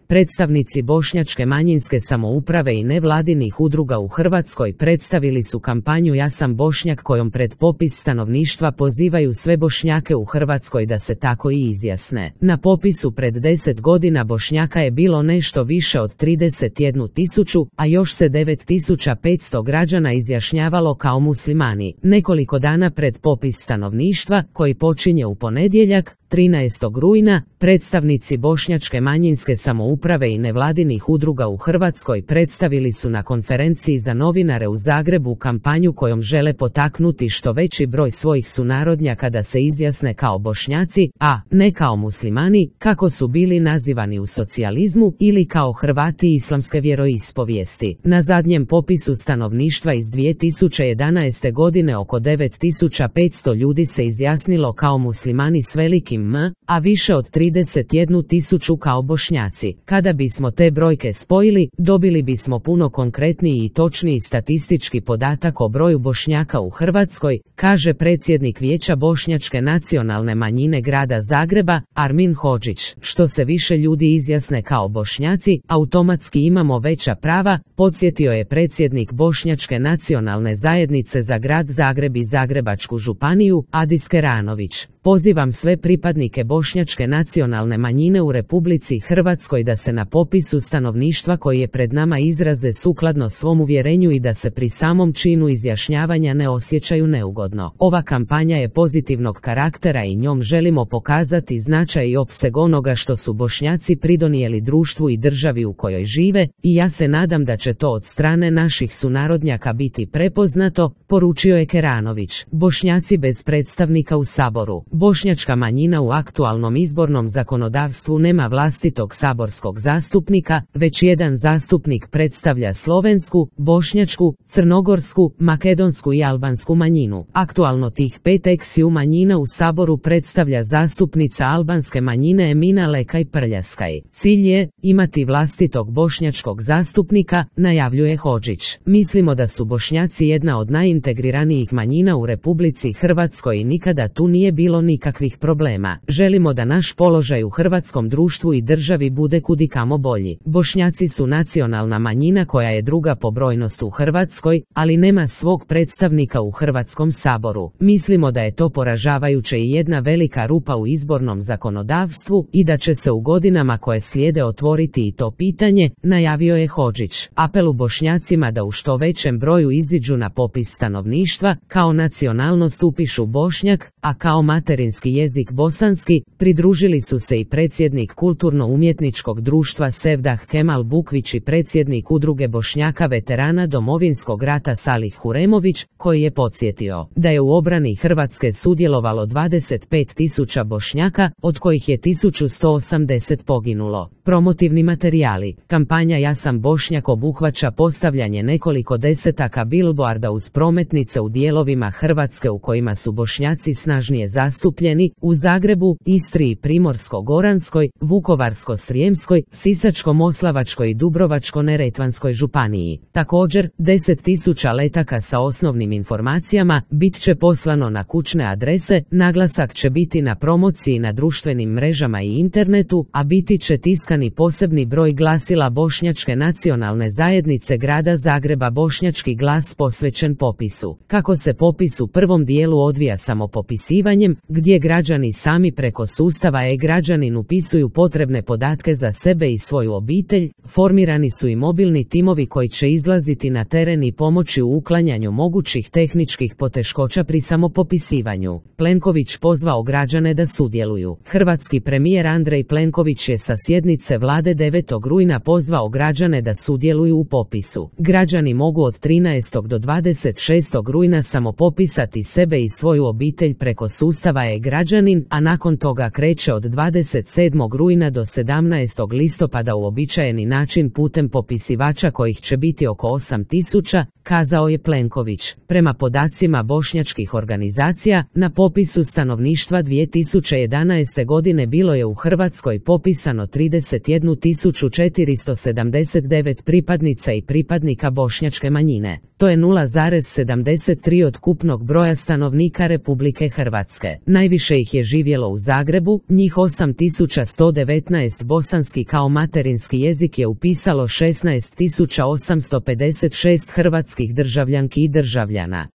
Predstavnici bošnjačke manjinske samouprave i nevladinih udruga u Hrvatskoj predstavili su kampanju Ja sam Bošnjak kojom pred popis stanovništva pozivaju sve Bošnjake u Hrvatskoj da se tako i izjasne. Na popisu pred 10 godina Bošnjaka je bilo nešto više od 31.000, a još se 9.500 građana izjašnjavalo kao muslimani. Nekoliko dana pred popis stanovništva, koji počinje u ponedjeljak, 13. rujna, predstavnici bošnjačke manjinske samouprave i nevladinih udruga u Hrvatskoj predstavili su na konferenciji za novinare u Zagrebu kampanju kojom žele potaknuti što veći broj svojih sunarodnjaka da se izjasne kao Bošnjaci, a ne kao muslimani, kako su bili nazivani u socijalizmu, ili kao Hrvati islamske vjeroispovijesti. Na zadnjem popisu stanovništva iz 2011. godine oko 9.500 ljudi se izjasnilo kao muslimani s velikim M, a više od 31.000 kao Bošnjaci. Kada bismo te brojke spojili, dobili bismo puno konkretniji i točniji statistički podatak o broju Bošnjaka u Hrvatskoj, kaže predsjednik Vijeća bošnjačke nacionalne manjine grada Zagreba, Armin Hodžić. Što se više ljudi izjasne kao Bošnjaci, automatski imamo veća prava, podsjetio je predsjednik Bošnjačke nacionalne zajednice za grad Zagreb i Zagrebačku županiju, Adis Keranović. Pozivam sve pripadnike bošnjačke nacionalne manjine u Republici Hrvatskoj da se na popisu stanovništva koji je pred nama izraze sukladno svom uvjerenju i da se pri samom činu izjašnjavanja ne osjećaju neugodno. Ova kampanja je pozitivnog karaktera i njom želimo pokazati značaj i opseg onoga što su Bošnjaci pridonijeli društvu i državi u kojoj žive, i ja se nadam da će to od strane naših sunarodnjaka biti prepoznato, poručio je Keranović. Bošnjaci bez predstavnika u Saboru. Bošnjačka manjina u aktualnom izbornom zakonodavstvu nema vlastitog saborskog zastupnika, već jedan zastupnik predstavlja slovensku, bošnjačku, crnogorsku, makedonsku i albansku manjinu. Aktualno tih 5 eksiju manjina u Saboru predstavlja zastupnica albanske manjine Emina Lekaj Prljaskaj. Cilj je imati vlastitog bošnjačkog zastupnika, najavljuje Hodžić. Mislimo da su Bošnjaci jedna od najintegriranijih manjina u Republici Hrvatskoj i nikada tu nije bilo nikakvih problema. Želimo da naš položaj u hrvatskom društvu i državi bude kudikamo bolji. Bošnjaci su nacionalna manjina koja je druga po brojnosti u Hrvatskoj, ali nema svog predstavnika u Hrvatskom saboru. Mislimo da je to poražavajuće i jedna velika rupa u izbornom zakonodavstvu i da će se u godinama koje slijede otvoriti i to pitanje, najavio je Hodžić. Apelu Bošnjacima da u što većem broju iziđu na popis stanovništva, kao nacionalnost upišu Bošnjak, a kao materinski jezik bosanski, pridružili su se i predsjednik Kulturno-umjetničkog društva Sevdah Kemal Bukvić i predsjednik Udruge Bošnjaka veterana Domovinskog rata Salih Huremović, koji je podsjetio da je u obrani Hrvatske sudjelovalo 25.000 Bošnjaka, od kojih je 1.180 poginulo. Promotivni materijali. Kampanja Ja sam Bošnjak obuhvaća postavljanje nekoliko desetaka bilboarda uz prometnice u dijelovima Hrvatske u kojima su Bošnjaci snažnije zastupljeni, u Zagrebu, Istri i Primorsko-goranskoj, Vukovarsko-srijemskoj, Sisačko-moslavačkoj i Dubrovačko-neretvanskoj županiji. Također, 10.000 letaka sa osnovnim informacijama bit će poslano na kućne adrese, naglasak će biti na promociji na društvenim mrežama i internetu, a biti će tiskani posebni broj glasila Bošnjačke nacionalne zajednice grada Zagreba Bošnjački glas posvećen popisu. Kako se popis u prvom dijelu odvija samopopisivanjem, gdje građani sami preko sustava e-građanin upisuju potrebne podatke za sebe i svoju obitelj, formirani su i mobilni timovi koji će izlaziti na teren i pomoći u uklanjanju mogućih tehničkih poteškoća pri samopopisivanju. Plenković pozvao građane da sudjeluju. Hrvatski premijer Andrej Plenković je sa sjednice vlade 9. rujna pozvao građane da sudjeluju u popisu. Građani mogu od 13. do 26. rujna samopopisati sebe i svoju obitelj preko sustava e-građanin, a nakon toga kreće od 27. rujna do 17. listopada uobičajeni način putem popisivača kojih će biti oko 8.000, kazao je Plenković. Prema podacima bošnjačkih organizacija, na popisu stanovništva 2011. godine bilo je u Hrvatskoj popisano 31.479 pripadnica i pripadnika bošnjačke manjine. To je 0,73 od ukupnog broja stanovnika Republike Hrvatske. Najviše ih je živjelo u Zagrebu, njih 8119, bosanski kao materinski jezik je upisalo 16856 hrvatskih državljanki i državljana.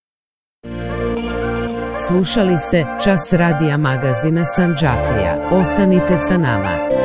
Slušali ste Čas radija magazina Sandžaklija. Ostanite sa nama.